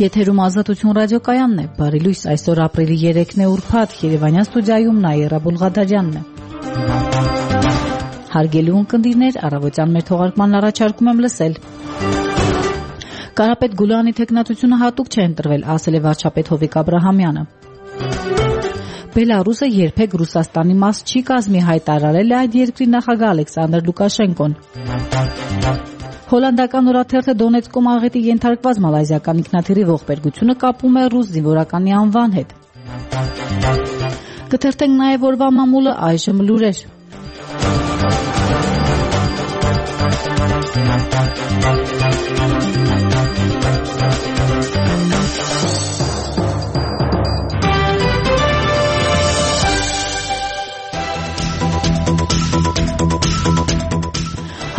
Եթերում Ազատություն ռադիոկայանն է, բարի լույս, այսօր ապրիլի 3-ն է ուրբաթ, Երևանյան ստուդիայում Նաիրա Բուլղադարյանն է։ Հարգելի ունկնդիրներ, առավոտյան մեր թողարկմանն առաջարկում եմ լսել։ Կարապետ Գուլյանի թեկնածությունը հատուկ չէ ընտրվել, ասել է վարչապետ Հովիկ Աբրահամյանը։ Բելարուսը երբեք Ռուսաստանի մաս չի կազմի, հայտարարել է այդ երկրի նախագահ Ալեքսանդր Լուկաշենկոն։ Հոլանդական օրաթերթը Դոնեցկում աղետի ենթարկված մալայզիական ինքնաթիռի ողբերգությունը կապում է ռուս զինվորականի անվան հետ։ Կթերթենք նաև օրվա մամուլը, այժմ լուրեր։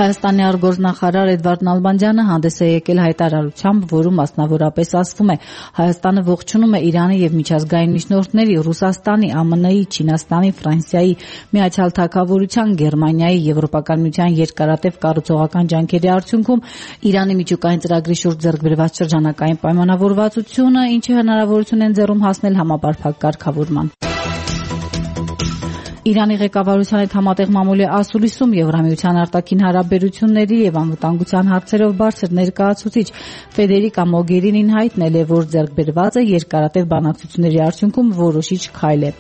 Հայաստանի արտգործնախարար Էդվարդ Նալբանդյանը հանդես է եկել հայտարարությամբ, որում մասնավորապես ասվում է Հայաստանը ողջունում է Իրանի եւ միջազգային միջնորդների, Ռուսաստանի, ԱՄՆ-ի, Չինաստանի, Ֆրանսիայի, Միացյալ Թագավորության, Գերմանիայի, Եվրոպական միության երկարատև կառուցողական ջանքերի արդյունքում Իրանի միջուկային ծրագրի շուրջ ձեռք բերված շրջանակային պայմանավորվածությունը, ինչը հնարավորություն են ձեռում հասնել համապարփակ կարգավորման։ Իրանի ղեկավարության հետ համատեղ մամուլի ասուլիսում Եվրամիության արտաքին հարաբերությունների եւ անվտանգության հարցերով բարձր ներկայացուցիչ Ֆեդերիկա Մոգերինին հայտնել է, որ ձեռքբերված է երկարատև բանակցությունների արդյունքում որոշիչ քայլ է։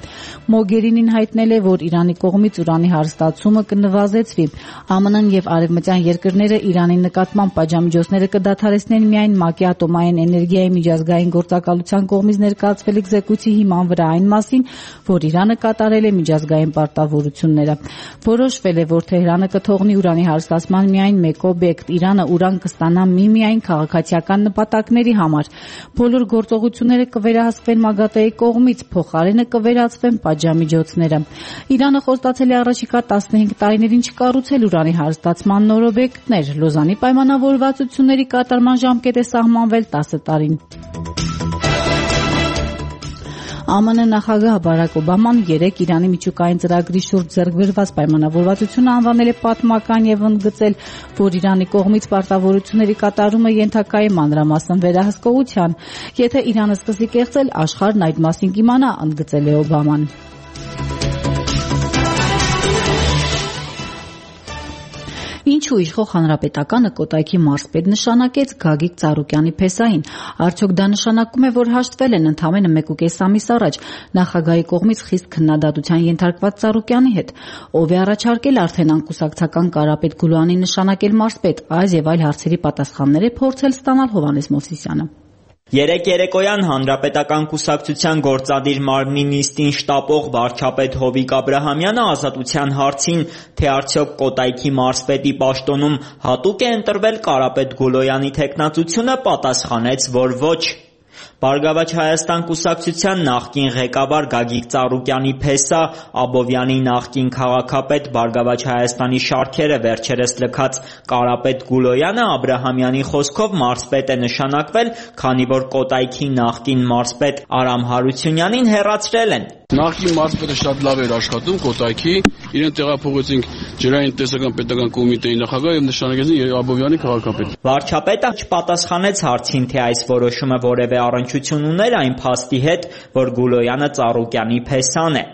Մոգերինին հայտնել է, որ Իրանի կողմից ուրանի հարստացումը կնվազեցվի։ ԱՄՆ-ն եւ արևմտյան երկրները Իրանի նկատմամբ պատժամիջոցները կդադարեցնեն միայն ՄԱԿ-ի ատոմային էներգիայի միջազգային գործակալության կողմից ներկայացվել զեկույցի հիման վրա, այն մասին, որ Իրանը կատարել է միջազգային պարտավորությունները։ Որոշվել է, որ Թեհրանը կթողնի ուրանի հարստացման միայն մեկ օբյեկտ։ Իրանը ուրան կստանա միմիայն քաղաքացիական նպատակների համար։ Բոլոր գործողությունները կվերահսկվեն ՄԱԳԱՏԷ-ի կողմից, փոխարենը կվերացվեն պատժամիջոցները։ Իրանը խոստացել է առաջիկա 15 տարիներին չկառուցել ուրանի հարստացման նոր օբյեկտներ։ Լոզանի պայմանավորվածությունների կատարման ժամկետ է սահմանվել 10 տարին։ ԱՄՆ նախագահ Բարակ Օբաման 3 Իրանի միջուկային ծրագրի շուրջ ձեռք բերված պայմանավորվածությունը անվանել է պատմական եւ ընդգծել, որ Իրանի կողմից պարտավորությունների կատարումը ենթակա է մանրամասն վերահսկողության։ Եթե Իրանը սկսի կեղծել, աշխարհն այդ մասին կիմանա, ընդգծել է Օբաման։ Ինչու իշխող հանրապետականը Կոտայքի մարզպետ նշանակեց Գագիկ Ծառուկյանի փեսային։ Արդյոք դա նշանակում է, որ հաշտվել են ընդամենը 1.5 ամիս առաջ նախագահի կողմից խիստ քննադատության ենթարկված Ծառուկյանի հետ։ Ով է առաջարկել արդեն անկուսակցական Կարապետ Գուլյանի նշանակել մարզպետ, այս եւ այլ հարցերի պատասխաններ է փորձել ստանալ Հովհաննես Մովսիսյանը։ Երեկ երեկոյան Հանրապետական կուսակցության գործադիր մարմնի նիստին շտապող վարչապետ Հովիկ Աբրահամյանը ազատության հարցին, թե արդյոք Կոտայքի մարզպետի պաշտոնում հատուկ է ընտրվել Կարապետ Գուլոյանի թեկնածությունը, պատասխանեց, որ ոչ։ Բարգավաճ Հայաստան կուսակցության նախկին ղեկավար Գագիկ Ծառուկյանի փեսա, Աբովյանի նախկին քաղաքապետ, Բարգավաճ Հայաստանի շարքերը վերջերս լքած Կարապետ Գուլոյանը Աբրահամյանի խոսքով մարզպետ է նշանակվել, քանի որ Կոտայքի նախկին մարզպետ Արամ Հարությունյանին հեռացրել են։ Նախկին մարզպետը շատ լավ էր աշխատում Կոտայքի, իրեն տեղափոխեցինք ջրային տնտեսական պետական կոմիտեի նախագահ եւ նշանակեցին Աբովյանի քաղաքապետ։ Վարչապետը չպատասխանեց հարցին, թե այս որոշումը որևէ առնչություն ուներ այն փաստի հետ, որ Գուլոյանը Ծառուկյանի փեսան է։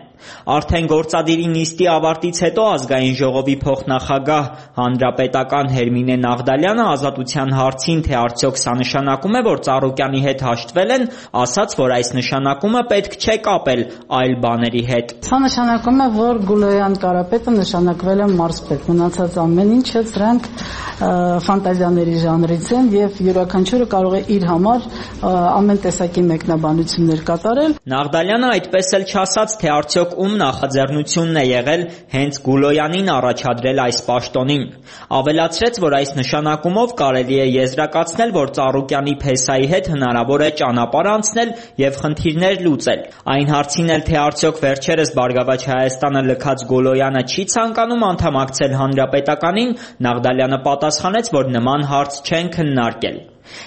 Արդեն գործադիրի նիստի ավարտից հետո ազգային ժողովի փոխնախագահ հանրապետական Հերմինե Նաղդալյանը ազատության հարցին, թե արդյոք սա նշանակում է, որ Ծառուկյանի հետ հաշտվել են, ասաց, որ այս նշանակումը պետք չէ կապել այլ բաների հետ։ Սա նշանակում է, որ Գուլոյան Կարապետը նշանակվել է մարզպետ, մնացած ամեն ինչը սրանք ֆանտազիաների ժանրից են եւ յուրաքանչյուրը կարող է իր համար ամեն տեսակի մեկնաբանություններ կատարել։ Նաղդալյանը այդպես էլ չասաց, թե արդյոք ում նախաձեռնությունն է եղել հենց Գուլոյանին առաջադրել այս պաշտոնին։ Ավելացրեց, որ այս նշանակումով կարելի է եզրակացնել, որ Ծառուկյանի փեսայի հետ հնարավոր է ճանապարհ անցնել եւ խնդիրներ լուծել։ Այն հարցին էլ, թե արդյոք վերջերս Բարգավաճ Հայաստանը լքած Գուլոյանը չի ցանկանում անդամակցել հանրապետականին, Նաղդալյանը պատասխանեց, որ նման հարց չեն քննարկել։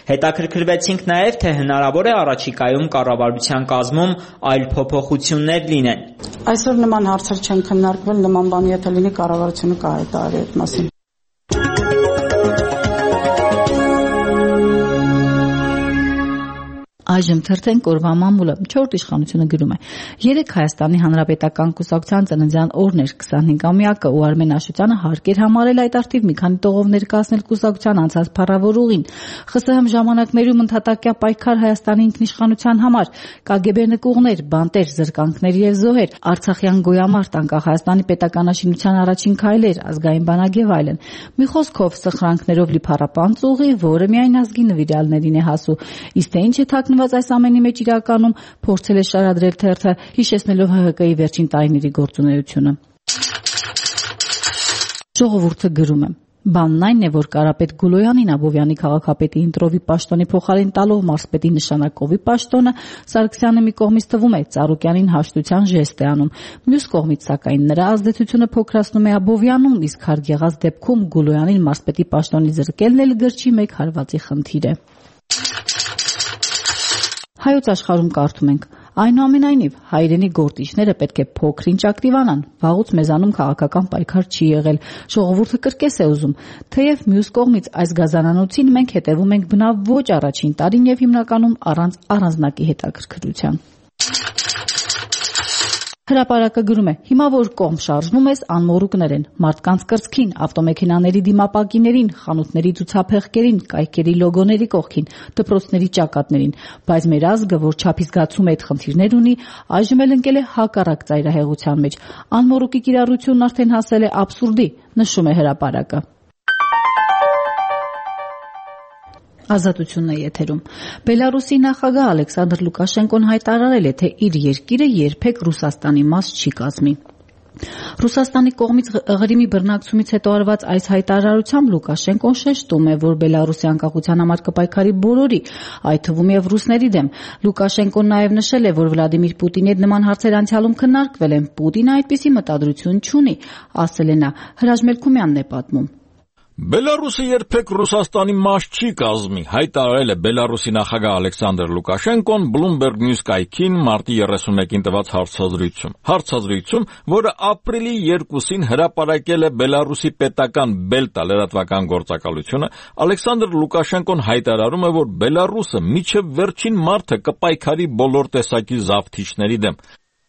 Հետաքրքրվեցինք նաև, թե հնարավոր է առաջիկայում կառավարության կազմում այլ փոփոխություններ լինեն։ Այսօր նման հարցեր չեն քննարկվել, նման բան եթե լինի կառավարությունը կհայտարարի այդ մասին։ Այժմ թերթենք օրվա մամուլը։ 4 իշխանությունը գրում է. 3 Հայաստանի Հանրապետական կուսակցության ծննդյան օրն էր 25-ամյակը ու Արմեն Աշոտյանը հարկ էր համարել այդ արդիվ մի քանի տողով ներկայացնել կուսակցության անցած փառավոր ուղին։ ԽՍՀՄ ժամանակներում ընդհատակյա պայքար Հայաստանի ինքնիշխանության համար, ԿԳԲ նկուղներ, բանտեր, զրկանքներ եւ զոհեր, Արցախյան գոյամարտ, անկախ Հայաստանի պետականաշինության առաջին քայլեր, ազգային բանակ եւ այլն։ Մի խոսքով սխրանքներով լի փառապանծ ուղի, որը միայն ազգի նվիրյալներին է հասու։ Իսկ թե ինչ է թաքնված այս ամենի մեջ իրականում, փորձել է շարադրել թերթը, հիշեցնելով ՀՀԿ-ի վերջին տարիների գործունեությունը։ Ժողովուրդը գրում է. Բանն այն է, որ Կարապետ Գուլոյանին Աբովյանի քաղաքապետի ընտրովի պաշտոնի փոխարեն տալով մարզպետի նշանակովի պաշտոնը Սարգսյանը մի կողմից թվում է Ծառուկյանին հաշտության ժեստ է անում, մյուս կողմից սակայն նրա ազդեցությունը փոքրացնում է Աբովյանում, իսկ հարկ եղած դեպքում Գուլոյանին մարզպետի պաշտոնի զրկելն էլ գրչի մեկ հարվածի խնդիր է։ Հայոց աշխարհում կարդում ենք. Այնուամենայնիվ, հայրենի գործիչները պետք է փոքր-ինչ ակտիվանան, վաղուց մեզանում քաղաքական պայքար չի եղել, ժողովուրդը կրկես է ուզում, թեև մյուս կողմից այս գազանանոցին մենք հետևում ենք բնավ ոչ առաջին տարին եւ հիմնականում առանց առանձնակի հետաքրքրության։ Հրապարակը գրում է. հիմա որ կողմ շարժվում ես, անմոռուկներ են, մարդկանց կրծքին, ավտոմեքենաների դիմապակիներին, խանութների ցուցափեղկերին, կայքերի լոգոների կողքին, դպրոցների ճակատներին, բայց մեր ազգը, որ չափի զգացում է այդ խնդիրներ ունի, այժմ էլ ընկել է հակառակ ծայրահեղության մեջ։ Անմոռուկի կիրառությունն արդեն հասել է աբսուրդի, նշում է հրապարակը։ Ազատությունն է եթերում։ Բելարուսի նախագահ Ալեքսանդր Լուկաշենկոն հայտարարել է, թե իր երկիրը երբեք Ռուսաստանի մաս չի կազմի։ Ռուսաստանի կողմից Ղրիմի բռնակցումից հետո արված այս հայտարարությամբ Լուկաշենկոն շեշտում է, որ Բելարուսի անկախության համար կպայքարի բոլորի, այդ թվում եւ ռուսների դեմ։ Լուկաշենկոն նաեւ նշել է, որ Վլադիմիր Պուտինի հետ նման հարցեր անցյալում քննարկվել են։ Պուտինը այդպիսի մտադրություն չունի, ասել է նա։ Հրաչ Մելքումյանն է պատմում։ Բելարուսը երբեք Ռուսաստանի մաս չի կազմի, հայտարարել է Բելարուսի նախագահ Ալեքսանդր Լուկաշենկոն Bloomberg News կայքին մարտի 31-ին տված հարցազրույցում, որը ապրիլի 2-ին հրապարակել է Բելարուսի պետական Բելտա լրատվական գործակալությունը, Ալեքսանդր Լուկաշենկոն հայտարարում է, որ Բելարուսը միջև վերջին մարտը կպայքարի բոլոր տեսակի զավթիչների դեմ։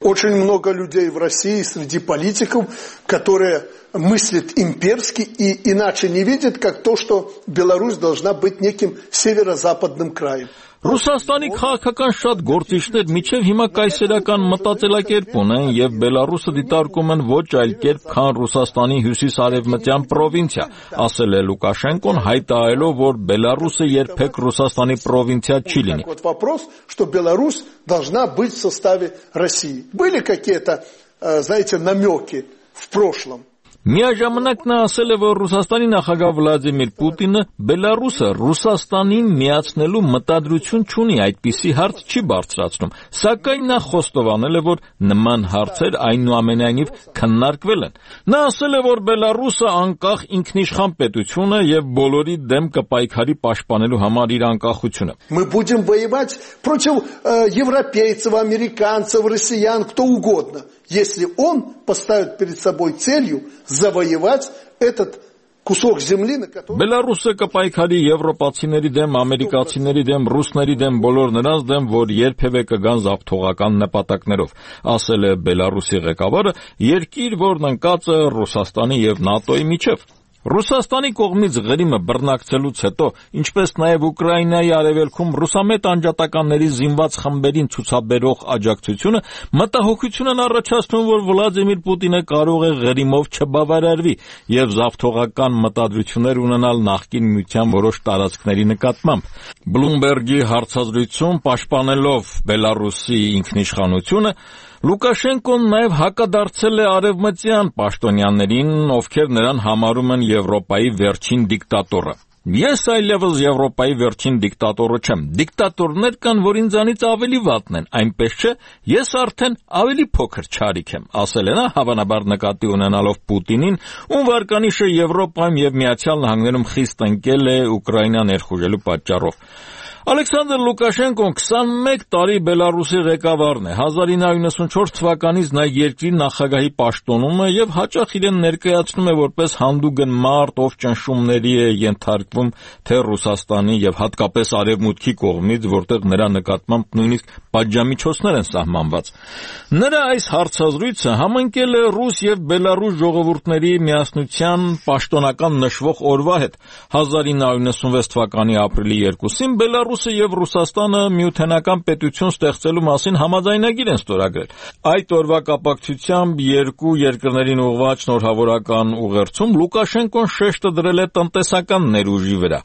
Очень много людей в России среди политиков, которые мыслят имперски и иначе не видят, как то, что Беларусь должна быть неким северо-западным краем. Ռուսաստանի քաղաքական շատ գործիչներ միջև հիմա կայսերական մտածելակերպ ունեն եւ Բելարուսը դիտարկում են ոչ այլ կերպ, քան Ռուսաստանի հյուսիս-արևմտյան պրովինցիա, ասել է Լուկաշենկոն, հայտարարելով, որ Բելարուսը երբեք Ռուսաստանի պրովինցիա չի լինի։ Вот вопрос, что Беларусь должна быть в составе России. Были какие-то, знаете, намеки в прошлом. Միաժամանակ նա ասել է, որ Ռուսաստանի նախագահ Վլադիմիր Պուտինը Բելարուսը Ռուսաստանին միացնելու մտադրություն չունի, այդպիսի հարց չի բարձրացնում, սակայն նա խոստովանել է, որ նման հարցեր այնուամենայնիվ քննարկվել են։ Նա ասել է, որ Բելարուսը անկախ ինքնիշխան պետություն է եւ բոլորի դեմ կպայքարի պաշտպանելու համար իր անկախությունը։ Мы будем воевать против европейцев, американцев, россиян, кто угодно, если он поставит перед собой целью завоевать этот кусок земли, на котором... Բելարուսը կպայքարի եվրոպացիների դեմ, ամերիկացիների դեմ, ռուսների դեմ, բոլոր նրանց դեմ, որ երբևէ կգան զավթողական նպատակներով, ասել է Բելարուսի ղեկավարը, երկիր, որն ընկած է Ռուսաստանի եւ ՆԱՏՕ-ի միջև։ Ռուսաստանի կողմից Ղրիմը բռնակցելուց հետո, ինչպես նաև Ուկրաինայի արևելքում ռուսամետ անջատականների զինված խմբերին ցուցաբերող աջակցությունը մտահոգություն են առաջացնում, որ Վլադիմիր Պուտինը կարող է Ղրիմով չբավարարվի եւ զավթողական մտադրություններ ունենալ նախկին միության որոշ տարածքների նկատմամբ։ Bloomberg-ի հարցազրույցում պաշտպանելով Բելարուսի ինքնիշխանությունը Լուկաշենկոն նաև հակադարձել է արևմտյան պաշտոնյաներին, ովքեր նրան համարում են Եվրոպայի վերջին դիկտատորը։ Ես այլևս Եվրոպայի վերջին դիկտատորը չեմ։ Դիկտատորներ կան, որ ինձանից ավելի վատն են, այնպես չէ, ես արդեն ավելի փոքր չարիք եմ, ասել է նա, հավանաբար նկատի ունենալով Պուտինին, ում վարկանիշը Եվրոպայում եւ Միացյալ Նահանգներում խիստ ընկել է Ուկրաինա ներխուժելու պատճառով։ Ալեքսանդր Լուկաշենկոն 21 տարի Բելարուսի ղեկավարն է։ 1994 թվականից նա երկրի նախագահի պաշտոնում է եւ հաճախ իրեն ներկայացնում է որպես հանդուգն մարդ, ով ճնշումների է ենթարկվում թե Ռուսաստանի եւ հատկապես Արևմուտքի կողմից, որտեղ նրա նկատմամբ նույնիսկ պատժամիջոցներ են սահմանված։ Նրա այս հարցազրույցը համընկել է ռուս եւ բելարուս ժողովուրդների միասնության պաշտոնական նշվող օրվա հետ։ 1996 թվականի ապրիլի 2-ին Բելարուսը եւ Ռուսաստանը միութենական պետություն ստեղծելու մասին համաձայնագիր են ստորագրել։ Այդ օրվա կապակցությամբ երկու երկրներին ուղղված շնորհավորական ուղերձում Լուկաշենկոն շեշտը դրել է տնտեսական ներուժի վրա,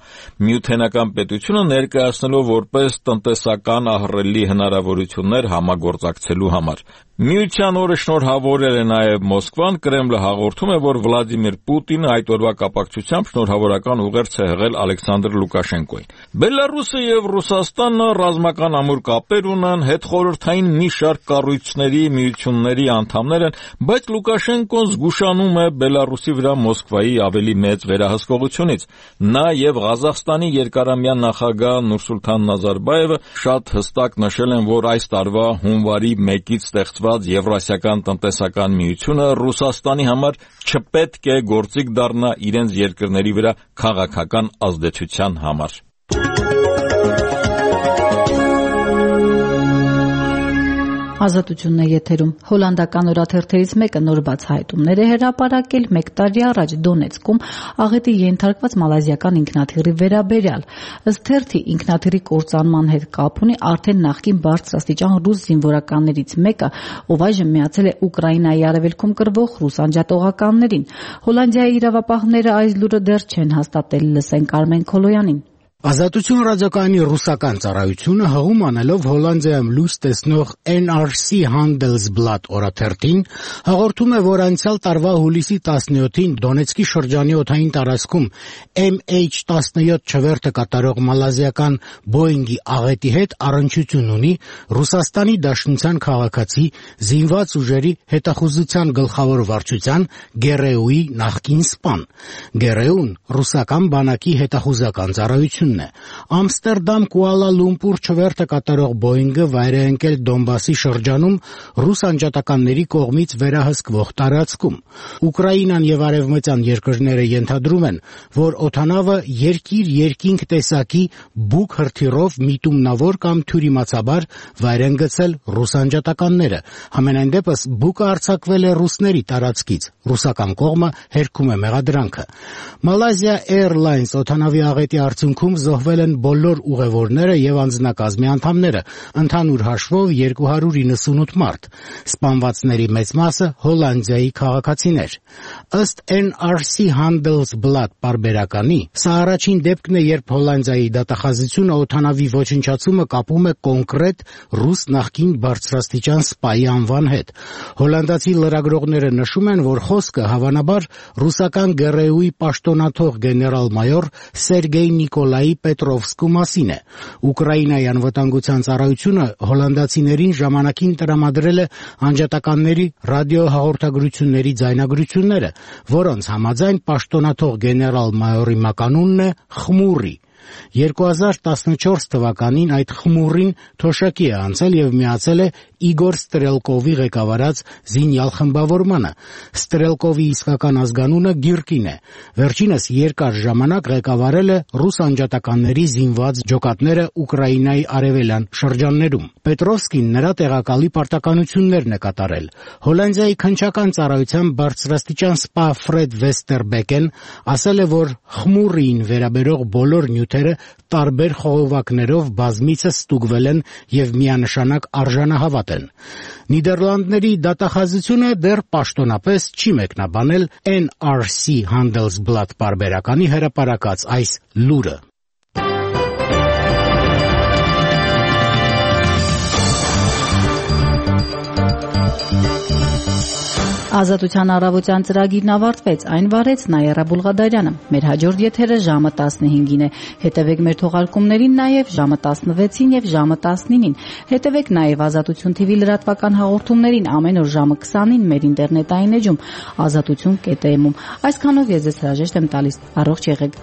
միութենական պետությունը ներկայացնելով որպես տնտեսական ահռելի հնարավորություններ համագործակցելու համար։ Միության օրը շնորհավորել է նաև Մոսկվան, Կրեմլը հաղորդում է, որ Վլադիմիր Պուտինը այդ օրվա կապակցությամբ շնորհավորական ուղերձ է հղել Ալեքսանդր Լուկաշենկոին։ Բելարուսը եւ Ռուսաստանը ռազմական ամուր կապեր ունեն, հետխորհրդային մի շարք կառույցների, միությունների անդամներ են, բայց Լուկաշենկոն զգուշանում է Բելարուսի վրա Մոսկվայի ավելի մեծ վերահսկողությունից։ Նա եւ Ղազախստանի երկարամյա նախագահ Նուրսուլթան Նազարբաևը շատ հստակ նշել են, որ այս տարվա հունվարի 1-ից ստեղծված Եվրասիական տնտեսական միությունը Ռուսաստանի համար չպետք է գործիք դառնա իրենց երկրների վրա քաղաքական ազդեցության համար։ Ազատությունն է եթերում։ Հոլանդական օրաթերթերից մեկը նոր բացահայտումներ է հրապարակել 1 տարի առաջ Դոնեցկում աղետի ենթարկված մալազիական ինքնաթիռի վերաբերյալ։ Ըստ թերթի ինքնաթիռի կործանման հետ կապ ունի արդեն նախկին բարձրաստիճան ռուս զինվորականներից մեկը, ով այժմ միացել է Ուկրաինայի արևելքում կռվող ռուս անջատողականներին։ Հոլանդիայի իրավապահները այս լուրը դեռ չեն հաստատել, լսենք Արմեն Քոլոյանին։ Ազատություն ռադիոկայանի ռուսական ծառայությունը հղում անելով Հոլանդիայում լույս տեսնող NRC Handelsblad օրաթերթին հաղորդում է, որ անցյալ տարվա հուլիսի 17-ին Դոնեցկի շրջանի օդային տարածքում MH17 չվերթը կատարող մալազիական Boeing-ի աղետի հետ առնչություն ունի Ռուսաստանի Դաշնության քաղաքացի զինված ուժերի հետախուզության գլխավոր վարչության Գերեուի նախկին սպան։ Գերեուն ռուսական բանակի հետախուզական ծառայություն Ամստերդամ Կուալա Լումպուր չվերթը կատարող Boeing-ը վայր է ընկել Դոնբասի շրջանում ռուս անջատականների կողմից վերահսկվող տարածքում։ Ուկրաինան եւ արևմտյան երկրները ենթադրում են, որ օդանավը երկիր-երկինք տեսակի բուկ հրթիռով միտումնավոր կամ թյուրիմացաբար վայր են գցել ռուս անջատականները։ Համենայն դեպս բուկը արձակվել է ռուսների տարածքից։ Ռուսական կողմը հերքում է մեղադրանքը։ Malaysia Airlines օդանավի աղետի արդյունքում զոհվել են բոլոր ուղևորները եւ անձնակազմի անդամները, ընդհանուր հաշվով 298 մարդ։ Սպանվածների մեծ մասը Հոլանդիայի քաղաքացիներ։ Ըստ NRC Handelsblad պարբերականի, սա առաջին դեպքն է, երբ Հոլանդիայի դատախազությունը օդանավի ոչնչացումը կապում է կոնկրետ ռուս նախկին բարձրաստիճան սպայի անվան հետ։ Հոլանդացի լրագրողները նշում են, որ խոսքը հավանաբար ռուսական Գերեուի պաշտոնաթող գեներալ-մայոր Սերգեյ Նիկոլայի Պետրովսկու մասին է։ Ուկրաինայի անվտանգության ծառայությունը հոլանդացիներին ժամանակին տրամադրել է անջատականների ռադիոհաղորդագրությունների ձայնագրությունները, որոնց համաձայն պաշտոնաթող գեներալ-մայորի մականունն է Խմուրի։ 2014 թվականին այդ Խմուրին թոշակի է անցել եւ միացել է Իգոր Ստրելկովի ղեկավարած զինյալ խմբավորմանը։ Ստրելկովի իսկական ազգանունը Գիրկին է։ Վերջինս երկար ժամանակ ղեկավարել է ռուս անջատականների զինված ջոկատները Ուկրաինայի արևելյան շրջաններում։ Պետրովսկին նրա տեղակալի պարտականություններն է կատարել։ Հոլանդիայի քննչական ծառայության բարձրաստիճան սպա Ֆրեդ Վեստերբեկեն ասել է, որ Խմուրին վերաբերող բոլոր նյութերը տարբեր խողովակներով բազմիցս ստուգվել են եւ միանշանակ արժանահավատ են։ Նիդերլանդների դատախազությունը դեռ պաշտոնապես չի մեկնաբանել NRC Handelsblad պարբերականի հրապարակած այս լուրը։ Ազատության առավոտյան ծրագիրն ավարտվեց, այն վարեց Նայերա Բուլղադարյանը։ Մեր հաջորդ եթերը ժամը 15-ին է։ Հետևեք մեր թողարկումներին նաև ժամը 16-ին եւ ժամը 19-ին։ Հետևեք նաև Ազատություն TV լրատվական հաղորդումներին ամեն օր ժամը 20-ին մեր ինտերնետային էջում azatutun.am-ում։ Այսքանով ես ձեզ հրաժեշտ եմ տալիս։ Առողջ եղեք։